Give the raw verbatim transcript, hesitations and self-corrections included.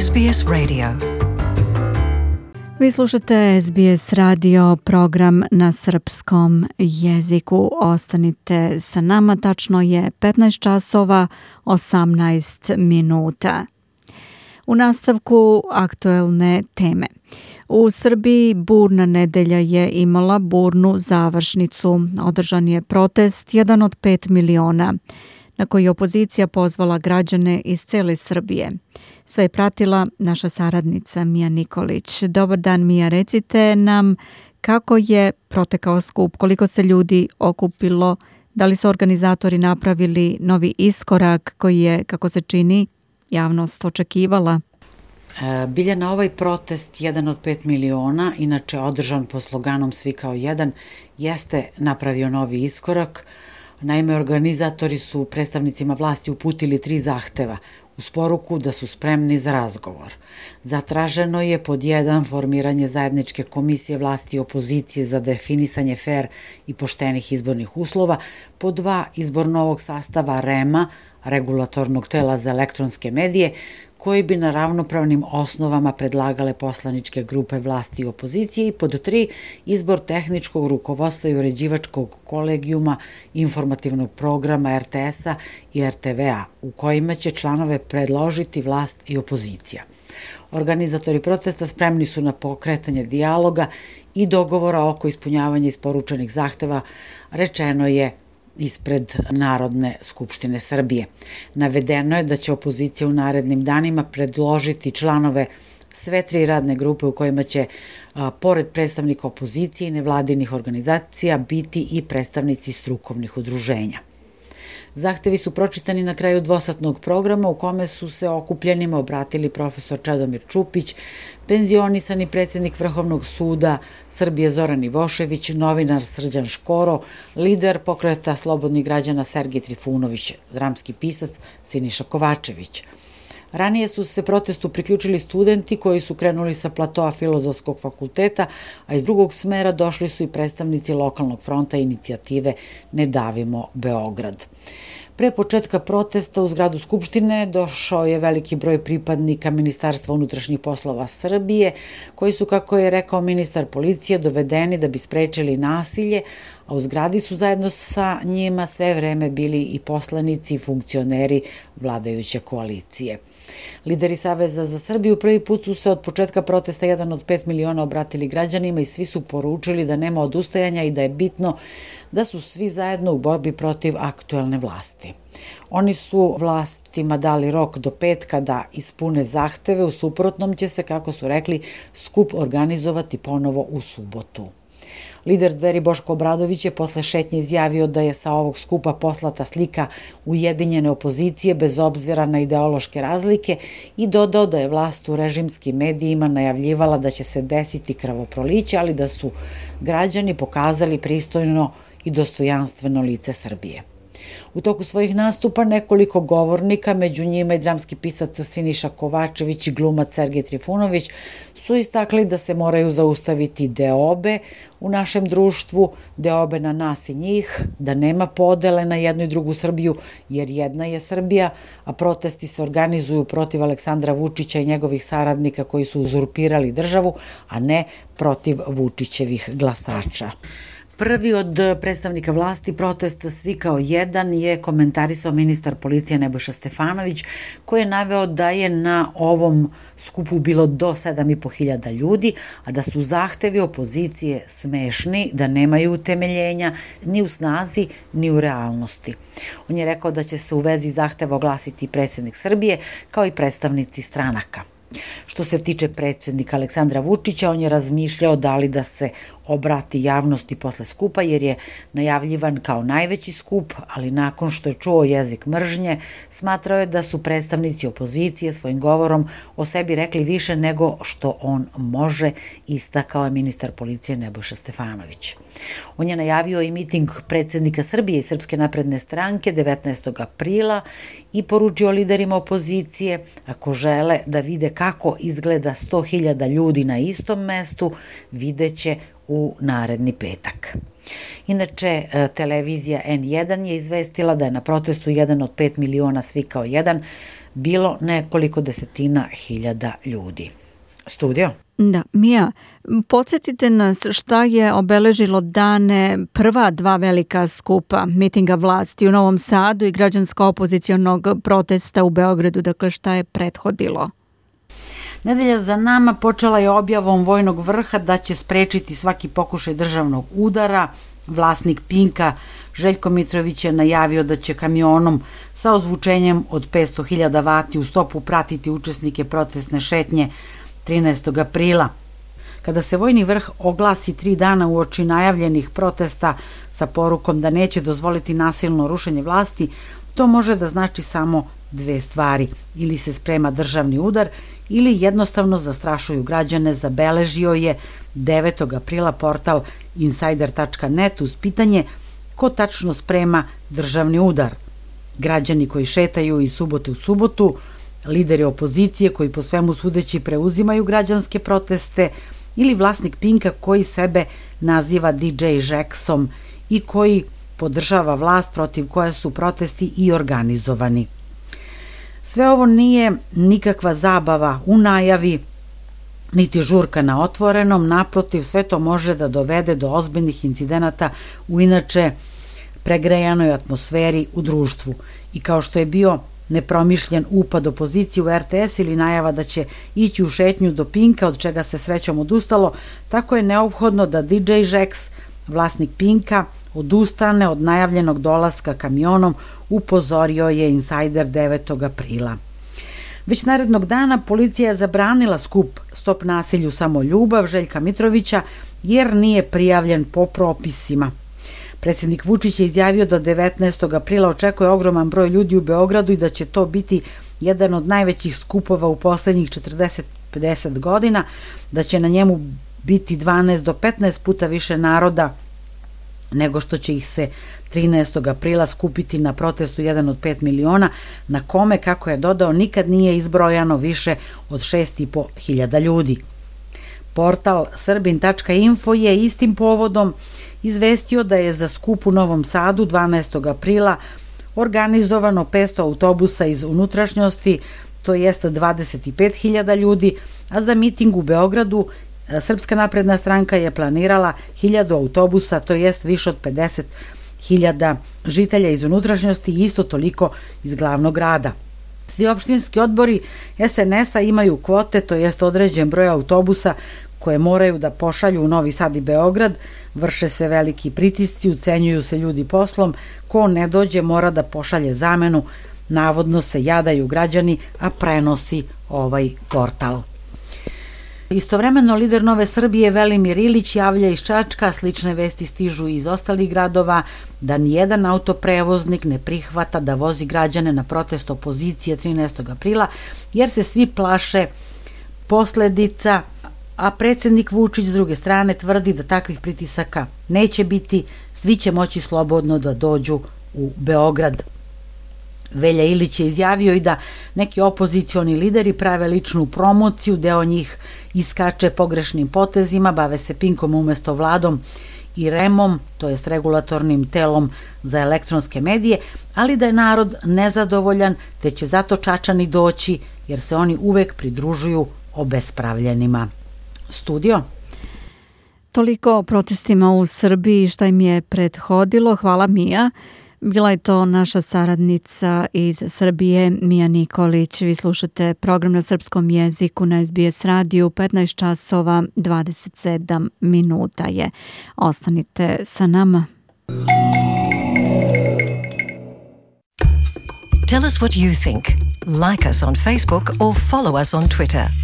S B S Radio. Vi slušate S B S radio, program na srpskom jeziku. Ostanite sa nama, tačno je petnaest časova osamnaest minuta. U nastavku aktuelne teme. U Srbiji burna nedelja je imala burnu završnicu. Održan je protest, jedan od pet miliona, na koji je opozicija pozvala građane iz cele Srbije. Sve je pratila naša saradnica Mija Nikolić. Dobar dan, Mija, recite nam kako je protekao skup, koliko se ljudi okupilo, da li su organizatori napravili novi iskorak koji je, kako se čini, javnost očekivala? Biljana, ovaj protest, jedan od pet miliona, inače održan po sloganom Svi kao jedan, jeste napravio novi iskorak. Naime, organizatori su predstavnicima vlasti uputili tri zahteva uz poruku da su spremni za razgovor. Zatraženo je pod jedan formiranje zajedničke komisije vlasti i opozicije za definisanje fer i poštenih izbornih uslova, pod dva izbor novog sastava R E M-a, regulatornog tela za elektronske medije, koji bi na ravnopravnim osnovama predlagale poslaničke grupe vlasti i opozicije, i pod tri izbor tehničkog rukovodstva i uređivačkog kolegijuma informativnog programa R T S-a i R T V-a, u kojima će članove predložiti vlast i opozicija. Organizatori protesta spremni su na pokretanje dijaloga i dogovora oko ispunjavanja isporučenih zahteva, rečeno je ispred Narodne skupštine Srbije. Navedeno je da će opozicija u narednim danima predložiti članove sve tri radne grupe u kojima će, a, pored predstavnika opozicije i nevladinih organizacija, biti i predstavnici strukovnih udruženja. Zahtevi su pročitani na kraju dvosatnog programa u kome su se okupljenima obratili profesor Čedomir Čupić, penzionisani predsjednik Vrhovnog suda Srbije Zoran Ivošević, novinar Srđan Škoro, lider pokreta slobodnih građana Sergej Trifunović, dramski pisac Siniša Kovačević. Ranije su se protestu priključili studenti koji su krenuli sa platoa Filozofskog fakulteta, a iz drugog smera došli su i predstavnici lokalnog fronta i inicijative Ne davimo Beograd. Pre početka protesta u zgradu Skupštine došao je veliki broj pripadnika Ministarstva unutrašnjih poslova Srbije, koji su, kako je rekao ministar policije, dovedeni da bi sprečili nasilje, a u zgradi su zajedno sa njima sve vreme bili i poslanici i funkcioneri vladajuće koalicije. Lideri Saveza za Srbiju prvi put su se od početka protesta jedan od pet miliona obratili građanima i svi su poručili da nema odustajanja i da je bitno da su svi zajedno u borbi protiv aktuelne vlasti. Oni su vlastima dali rok do petka da ispune zahteve, u suprotnom će se, kako su rekli, skup organizovati ponovo u subotu. Lider Dveri Boško Obradović je posle šetnje izjavio da je sa ovog skupa poslata slika ujedinjene opozicije bez obzira na ideološke razlike i dodao da je vlast u režimskim medijima najavljivala da će se desiti krvoproliće, ali da su građani pokazali pristojno i dostojanstveno lice Srbije. U toku svojih nastupa nekoliko govornika, među njima i dramski pisac Siniša Kovačević i glumac Sergej Trifunović, su istakli da se moraju zaustaviti deobe u našem društvu, deobe na nas i njih, da nema podele na jednu i drugu Srbiju, jer jedna je Srbija, a protesti se organizuju protiv Aleksandra Vučića i njegovih saradnika koji su uzurpirali državu, a ne protiv Vučićevih glasača. Prvi od predstavnika vlasti protesta Svi kao jedan je komentarisao ministar policije Nebojša Stefanović, koji je naveo da je na ovom skupu bilo do sedam i po hiljada ljudi, a da su zahtevi opozicije smešni, da nemaju utemeljenja ni u snazi ni u realnosti. On je rekao da će se u vezi zahteva oglasiti predsjednik Srbije kao i predstavnici stranaka. Što se tiče predsjednika Aleksandra Vučića, on je razmišljao da li da se obrati javnosti posle skupa, jer je najavljivan kao najveći skup, ali nakon što je čuo jezik mržnje, smatrao je da su predstavnici opozicije svojim govorom o sebi rekli više nego što on može, istakao je ministar policije Nebojša Stefanović. On je najavio i miting predsjednika Srbije i Srpske napredne stranke devetnaestog aprila i poručio liderima opozicije, ako žele da vide kako izgleda sto hiljada ljudi na istom mestu, videće u naredni petak. Inače, televizija en jedan je izvestila da je na protestu jedan od pet miliona svi kao jedan bilo nekoliko desetina hiljada ljudi. Studio? Da, Mija, podsjetite nas šta je obeležilo dane prva dva velika skupa mitinga vlasti u Novom Sadu i građansko-opozicionog protesta u Beogradu, dakle šta je prethodilo? Nedelja za nama počela je objavom vojnog vrha da će sprečiti svaki pokušaj državnog udara. Vlasnik Pinka, Željko Mitrović, je najavio da će kamionom sa ozvučenjem od petsto hiljada vati u stopu pratiti učesnike protestne šetnje trinaestog aprila. Kada se vojni vrh oglasi tri dana uoči najavljenih protesta sa porukom da neće dozvoliti nasilno rušenje vlasti, to može da znači samo dve stvari. Ili se sprema državni udar ili jednostavno zastrašuju građane, zabeležio je devetog aprila portal insider tačka net uz pitanje ko tačno sprema državni udar. Građani koji šetaju iz subote u subotu, lideri opozicije koji po svemu sudeći preuzimaju građanske proteste ili vlasnik Pinka koji sebe naziva di džej Jacksom i koji podržava vlast protiv koje su protesti i organizovani. Sve ovo nije nikakva zabava u najavi, niti žurka na otvorenom, naprotiv, sve to može da dovede do ozbiljnih incidenata u inače pregrejanoj atmosferi u društvu. I kao što je bio nepromišljen upad opozicije u er te es ili najava da će ići u šetnju do Pinka, od čega se srećom odustalo, tako je neophodno da di džej Jax, vlasnik Pinka, odustane od najavljenog dolaska kamionom, upozorio je Insider devetog aprila. Već narednog dana policija je zabranila skup Stop nasilju samo ljubav Željka Mitrovića jer nije prijavljen po propisima. Predsjednik Vučić je izjavio da devetnaestog aprila očekuje ogroman broj ljudi u Beogradu i da će to biti jedan od najvećih skupova u poslednjih četrdeset do pedeset godina, da će na njemu biti dvanaest do petnaest puta više naroda nego što će ih se trinaestog aprila skupiti na protestu jedan od pet miliona, na kome, kako je dodao, nikad nije izbrojano više od šest i po hiljada ljudi. Portal srbin tačka info je istim povodom izvestio da je za skup u Novom Sadu dvanaestog aprila organizovano petsto autobusa iz unutrašnjosti, to jest dvadeset pet hiljada ljudi, a za miting u Beogradu Srpska napredna stranka je planirala hiljadu autobusa, to jest više od pedeset hiljada žitelja iz unutrašnjosti i isto toliko iz glavnog grada. Svi opštinski odbori es en es-a imaju kvote, to jest određen broj autobusa koje moraju da pošalju u Novi Sad i Beograd, vrše se veliki pritisci, ucenjuju se ljudi poslom, ko ne dođe mora da pošalje zamenu, navodno se jadaju građani, a prenosi ovaj portal. Istovremeno, lider Nove Srbije Velimir Ilić javlja iz Čačka, slične vesti stižu iz ostalih gradova, da nijedan autoprevoznik ne prihvata da vozi građane na protest opozicije trinaestog aprila, jer se svi plaše posledica, a predsjednik Vučić s druge strane tvrdi da takvih pritisaka neće biti, svi će moći slobodno da dođu u Beograd. Velja Ilić je izjavio i da neki opozicioni lideri prave ličnu promociju, deo njih iskače pogrešnim potezima, bave se Pinkom umesto vladom i remom, to jest regulatornim telom za elektronske medije, ali da je narod nezadovoljan, te će zato Čačani doći, jer se oni uvek pridružuju obespravljenima. Studio? Toliko o protestima u Srbiji, šta im je prethodilo. Hvala, Mija. Bila je to naša saradnica iz Srbije, Mija Nikolić. Vi slušate program na srpskom jeziku na es be es radiju, petnaest časova dvadeset sedam minuta je. Ostanite sa nama. Tell us what you think. Like us on Facebook or follow us on Twitter.